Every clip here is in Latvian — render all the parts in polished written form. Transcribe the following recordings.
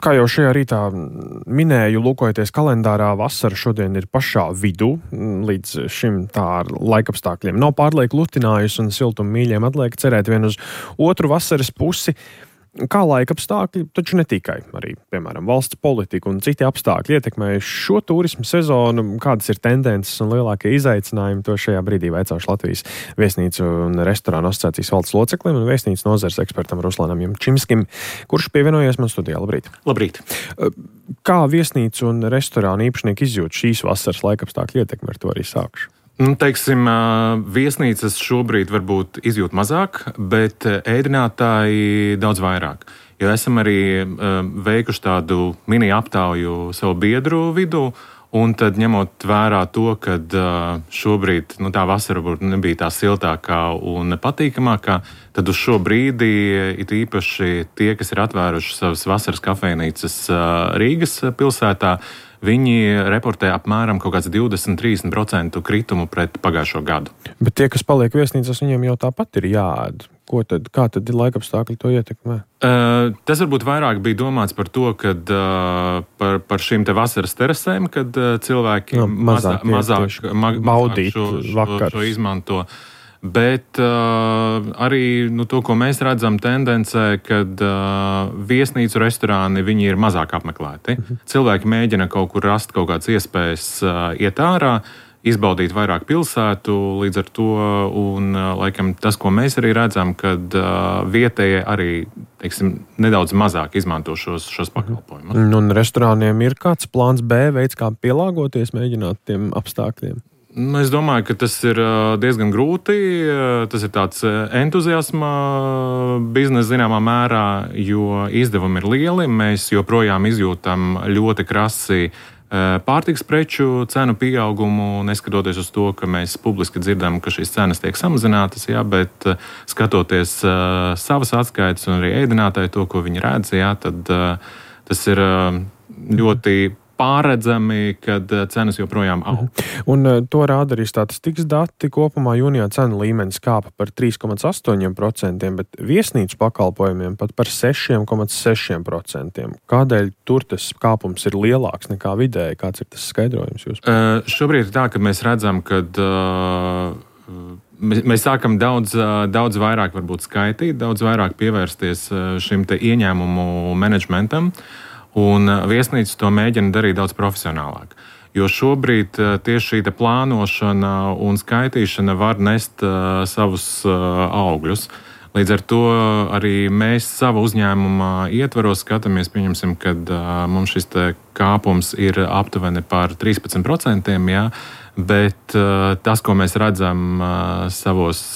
Kā jau šajā rītā minēju, lūkojoties kalendārā, vasara šodien ir pašā vidū. Līdz šim tā ar laikapstākļiem nav pārlieku lutinājusi un siltumu mīļiem atliek cerēt vien uz otru vasaras pusi. Kā laikapstākļi, taču ne tikai, arī, piemēram, valsts politika un citi apstākļi ietekmējuši šo turismu sezonu, kādas ir tendences un lielākie izaicinājumi, to šajā brīdī vaicāšu Latvijas Viesnīcu un restorānu asociācijas valdes loceklim un viesnīcu nozares ekspertam Ruslanam Jumčimskim, kurš pievienojies man studijā. Labrīt! Labrīt! Kā viesnīcu un restorānu īpašnieki izjūt šīs vasaras laikapstākļu ietekmi, ar to arī sākšu? Teiksim, viesnīcas šobrīd varbūt izjūt mazāk, bet ēdinātāji daudz vairāk. Jo esam arī veikuši tādu mini aptauju savu biedru vidū, un tad ņemot vērā to, ka šobrīd tā vasara varbūt nebija tā siltākā un patīkamākā, tad uz šo brīdi it īpaši tie, kas ir atvēruši savas vasaras kafejnīcas Rīgas pilsētā, viņi reportē apmēram kaut kāds 20-30% kritumu pret pagājušo gadu. Bet tie, kas paliek viesnīcās, viņiem jau tāpat ir jāēd. Kā tad ir laikapstākļi to ietekmē? Tas varbūt vairāk bija domāts par to, kad par šīm te vasaras terasēm, kad cilvēki mazāk baudīt šo izmanto. Bet arī to, ko mēs redzam tendencē, kad viesnīcu restorāni viņi ir mazāk apmeklēti. Cilvēki mēģina kaut kur rast kaut kādas iespējas iet ārā, izbaudīt vairāk pilsētu, līdz ar to, un laikam tas, ko mēs arī redzam, kad vietējie arī, teiksim, nedaudz mazāk izmanto šos pakalpojumus. Un restorāniem ir kāds plāns B, veids, kā pielāgoties, mēģināt tiem apstākļiem? Es domāju, ka tas ir diezgan grūti. Tas ir tāds entuziasma biznesa zināmā mērā, jo izdevumi ir lieli. Mēs joprojām izjūtam ļoti krasi pārtikas preču cenu pieaugumu, neskatoties uz to, ka mēs publiski dzirdam, ka šīs cenas tiek samazinātas, bet skatoties savas atskaites un arī ēdinātāji to, ko viņi redz, tad tas ir ļoti pārredzami, kad cenas joprojām aug. Un to rāda arī statistikas dati. Kopumā jūnijā cenu līmenis kāpa par 3,8%, bet viesnīcu pakalpojumiem pat par 6,6%. Kādēļ tur tas kāpums ir lielāks nekā vidēji? Kāds ir tas skaidrojums jūs? Šobrīd ir tā, ka mēs redzam, ka mēs sākam daudz vairāk varbūt skaitīt, daudz vairāk pievērsties šim te ieņēmumu menedžmentam. Un viesnīcas to mēģina darīt daudz profesionālāk. Jo šobrīd tieši šī plānošana un skaitīšana var nest savus augļus. Līdz ar to arī mēs savu uzņēmumu ietvaros skatāmies, pieņemsim, kad mums šis kāpums ir aptuveni par 13%, bet tas, ko mēs redzam savos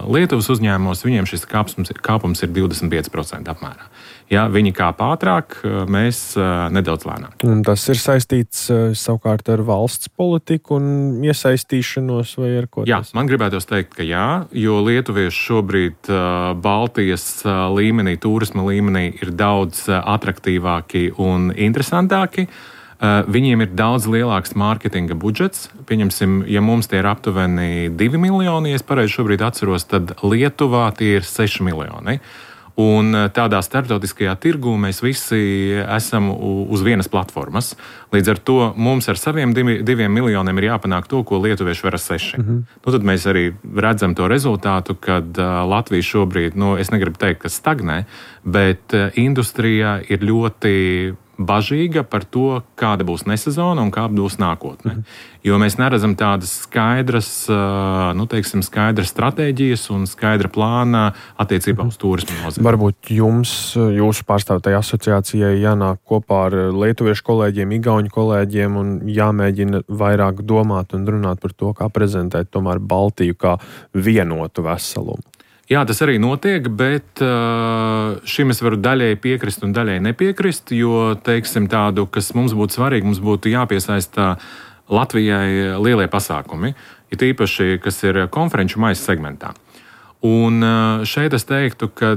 Lietuvas uzņēmumos, viņiem šis kāpums ir 25% apmērā. Ja viņi kāp ātrāk, mēs nedaudz lēnāk. Un tas ir saistīts savukārt ar valsts politiku un iesaistīšanos vai ar ko? Jā, man gribētos teikt, ka jā, jo lietuvieši šobrīd Baltijas līmenī, turisma līmenī ir daudz atraktīvāki un interesantāki. Viņiem ir daudz lielāks mārketinga budžets. Pieņemsim, ja mums tie ir aptuveni 2 miljoni, ja es pareizi šobrīd atceros, tad Lietuvā tie ir 6 miljoni. Un tādā starptautiskajā tirgū mēs visi esam uz vienas platformas. Līdz ar to mums ar saviem 2 miljoniem ir jāpanāk to, ko lietuvieši var ar 6. Tad mēs arī redzam to rezultātu, kad Latvija šobrīd, es negribu teikt, ka stagnē, bet industrija ir ļoti bažīga par to, kāda būs nesezona un kāda būs nākotne. Jo mēs neredzam tādas skaidras stratēģijas un skaidra plāna attiecībā uz turismu nozari. Varbūt jūsu pārstāvētajai asociācijai jānāk kopā ar lietuviešu kolēģiem, igauņu kolēģiem un jāmēģina vairāk domāt un runāt par to, kā prezentēt tomēr Baltiju kā vienotu veselumu. Jā, tas arī notiek, bet šim es varu daļēji piekrist un daļēji nepiekrist, jo, teiksim, tādu, kas mums būtu svarīgi, mums būtu jāpiesaista Latvijai lielie pasākumi, it īpaši, kas ir konferenču maisa segmentā. Un šeit es teiktu, ka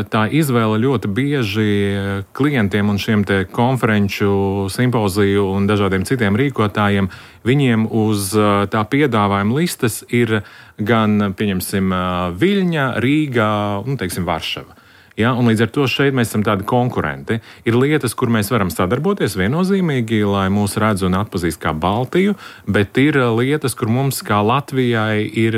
tā izvēle ļoti bieži klientiem un šiem te konferenču, simpoziju un dažādiem citiem rīkotājiem, viņiem uz tā piedāvājuma listas ir gan, pieņemsim, Viļņa, Rīga un, teiksim, Varšava. Ja, un līdz ar to šeit mēs esam tādi konkurenti. Ir lietas, kur mēs varam sadarboties viennozīmīgi, lai mūs redz un atpazīst kā Baltiju, bet ir lietas, kur mums kā Latvijai ir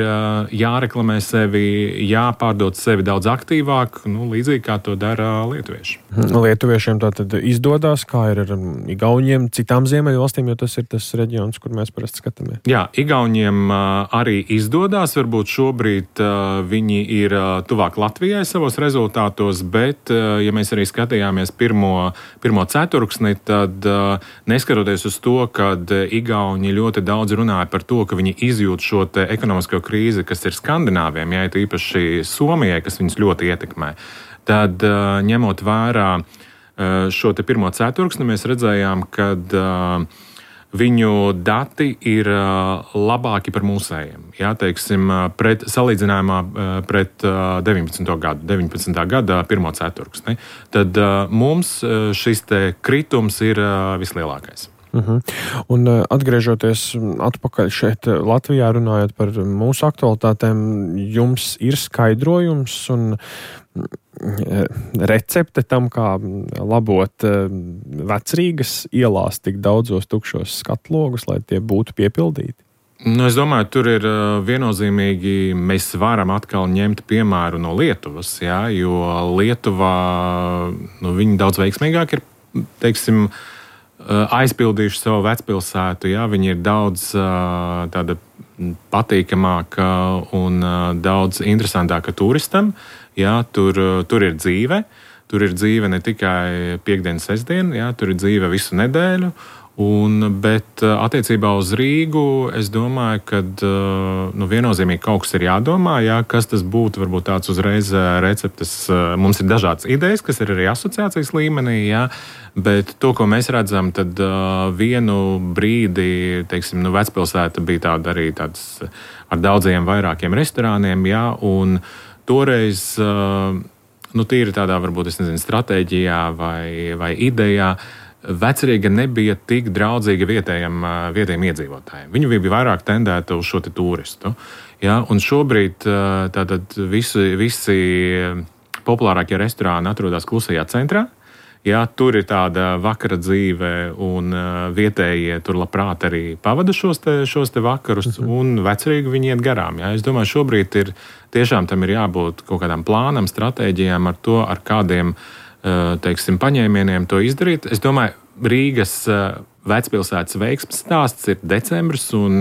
jāreklamē sevi, jāpārdod sevi daudz aktīvāk, līdzīgi kā to dara lietuvieši. Lietuviešiem tā tad izdodas, kā ir ar Igauniem, citām ziemeļvalstīm, jo tas ir tas reģions, kur mēs parasti skatāmies. Jā, Igauniem arī izdodas, varbūt šobrīd viņi ir tuvāk Latvijai savos rezultātos, bet, ja mēs arī skatījāmies pirmo ceturksni, tad neskatoties uz to, kad Igauni ļoti daudz runāja par to, ka viņi izjūt šo te ekonomisko krīzi, kas ir Skandināviem, ja īpaši Somijai, kas viņus ļoti ietekmē, tad ņemot vērā šo te pirmo ceturksni, mēs redzējām, kad viņu dati ir labāki par mūsējiem. Jā, teiksim, salīdzinājumā pret 19. gada pirmo ceturksni. Tad mums šis te kritums ir vislielākais. Un atgriežoties atpakaļ šeit Latvijā, runājot par mūsu aktualitātēm, jums ir skaidrojums un recepte tam, kā labot Vecrīgas ielās tik daudzos tukšos skatlogus, lai tie būtu piepildīti? Es domāju, tur ir viennozīmīgi, mēs varam atkal ņemt piemēru no Lietuvas, jā, jo Lietuvā viņi daudz veiksmīgāk ir, teiksim, aizpildījuši savu vecpilsētu, jā, viņi ir daudz tāda patīkamāka un daudz interesantāka turistam. Jā, tur ir dzīve. Tur ir dzīve ne tikai piekdienu, sestdienu, jā, tur ir dzīve visu nedēļu. Bet attiecībā uz Rīgu es domāju, ka viennozīmīgi kaut kas ir jādomā, jā, kas tas būtu, varbūt tāds uzreiz receptes. Mums ir dažādas idejas, kas ir arī asociācijas līmenī, jā, bet to, ko mēs redzam, tad vienu brīdi, teiksim, vecpilsēta bija tāda arī tāds ar daudziem vairākiem restorāniem, jā, un toreiz, tīri tādā, varbūt, stratēģijā vai idejā, Vecrīga nebija tik draudzīga vietējiem iedzīvotājiem. Viņi bija vairāk tendēta uz šo turistu. Ja? Un šobrīd tātad visi populārākie restorāni atrodas klusajā centrā. Ja? Tur ir tāda vakara dzīve, un vietējie tur labprāt arī pavada šos te vakarus, un Vecrīgu viņi iet garām. Ja? Es domāju, šobrīd tiešām tam ir jābūt kaut kādām plānam, stratēģijām ar to, ar kādiem teiksim, paņēmieniem to izdarīt. Es domāju, Rīgas vecpilsētas veiksmes stāsts ir decembris un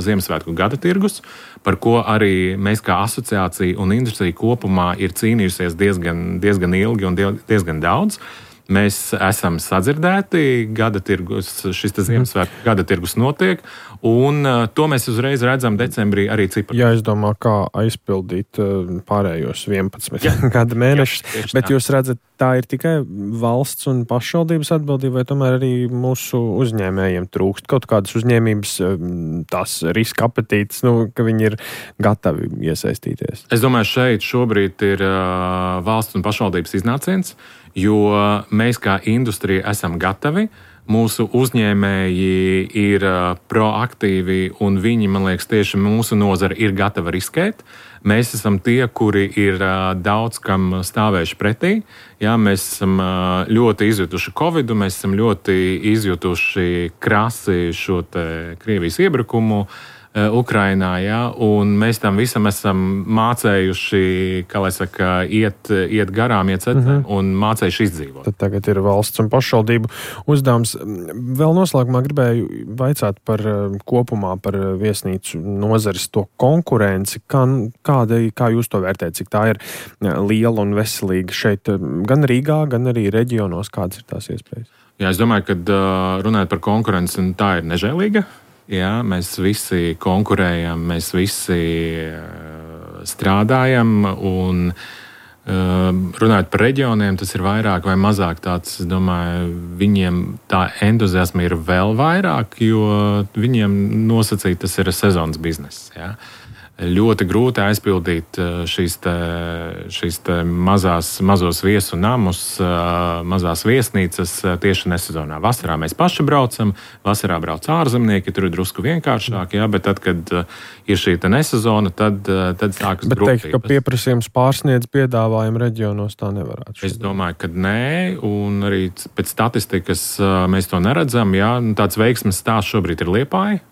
Ziemassvētku gada tirgus, par ko arī mēs kā asociācija un industrija kopumā ir cīnījusies diezgan ilgi un diezgan daudz. Mēs esam sadzirdēti, šis Ziemassvētku gada tirgus notiek, un to mēs uzreiz redzam decembrī arī ciparā. Jāizdomā, kā aizpildīt pārējos 11 gada mēnešus, bet jūs redzat, tā ir tikai valsts un pašvaldības atbildība, vai tomēr arī mūsu uzņēmējiem trūkst kaut kādas uzņēmības, tās riska apetītes, ka viņi ir gatavi iesaistīties? Es domāju, šeit šobrīd ir valsts un pašvaldības iznāciens, jo mēs kā industrija esam gatavi, mūsu uzņēmēji ir proaktīvi un viņi, man liekas, tieši mūsu nozara ir gatava riskēt. Mēs esam tie, kuri ir daudz kam stāvējuši pretī. Jā, mēs esam ļoti izjutuši Covidu, mēs esam ļoti izjutuši krasi šo te Krievijas iebrukumu Ukrainā, ja, un mēs tam visam esam mācējuši, kā lai saka, iet garām, iet ceļā un mācējuši izdzīvot. Tad tagad ir valsts un pašvaldību uzdevums. Vēl noslēgumā gribēju vaicāt par kopumā par viesnīcu nozares to konkurenci. Kā jūs to vērtējat, cik tā ir liela un veselīga šeit gan Rīgā, gan arī reģionos, kādas ir tās iespējas? Jā, es domāju, ka runājot par konkurenci, tā ir nežēlīga. Jā, mēs visi konkurējam, mēs visi strādājam, un runājot par reģioniem, tas ir vairāk vai mazāk tāds, es domāju, viņiem tā entuziasma ir vēl vairāk, jo viņiem nosacīt tas ir sezonas bizness. Jā. ļoti grūti aizpildīt šīs mazos viesu namus, mazās viesnīcas tieši nesezonā. Vasarā mēs paši braucam, vasarā brauc ārzemnieki, tur ir drusku vienkāršāk, jā, bet tad, kad ir šī nesezona, tad sākas grūtības. Bet teikt, ka pieprasījums pārsniedz piedāvājumu reģionos, tā nevarētu. Es domāju, ka nē, un arī pēc statistikas mēs to neredzam. Jā, tāds veiksmes stāsts šobrīd ir Liepāja.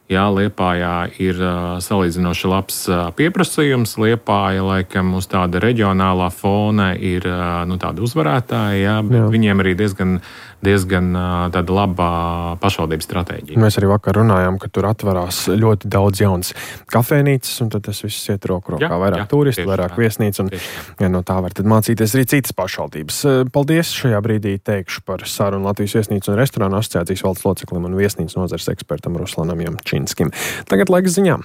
Jā, Liepājā ir salīdzinoši labs pieprasījums. Liepāja, laikam, uz tāda reģionālā fona ir tāda uzvarētāja, jā, bet viņiem arī diezgan tāda laba pašvaldības stratēģija. Mēs arī vakar runājām, ka tur atverās ļoti daudz jaunas kafejnīcas, un tad tas viss iet roku rokā. Vairāk turistu, vairāk viesnīcu, un no tā var tad mācīties arī citas pašvaldības. Paldies šajā brīdī teikšu par sarunu Latvijas viesnīcu un restorānu asociācijas valdes loceklim un viesnīcu nozares ekspertam Ruslanam Jamčinskim. Tagad laiks ziņām.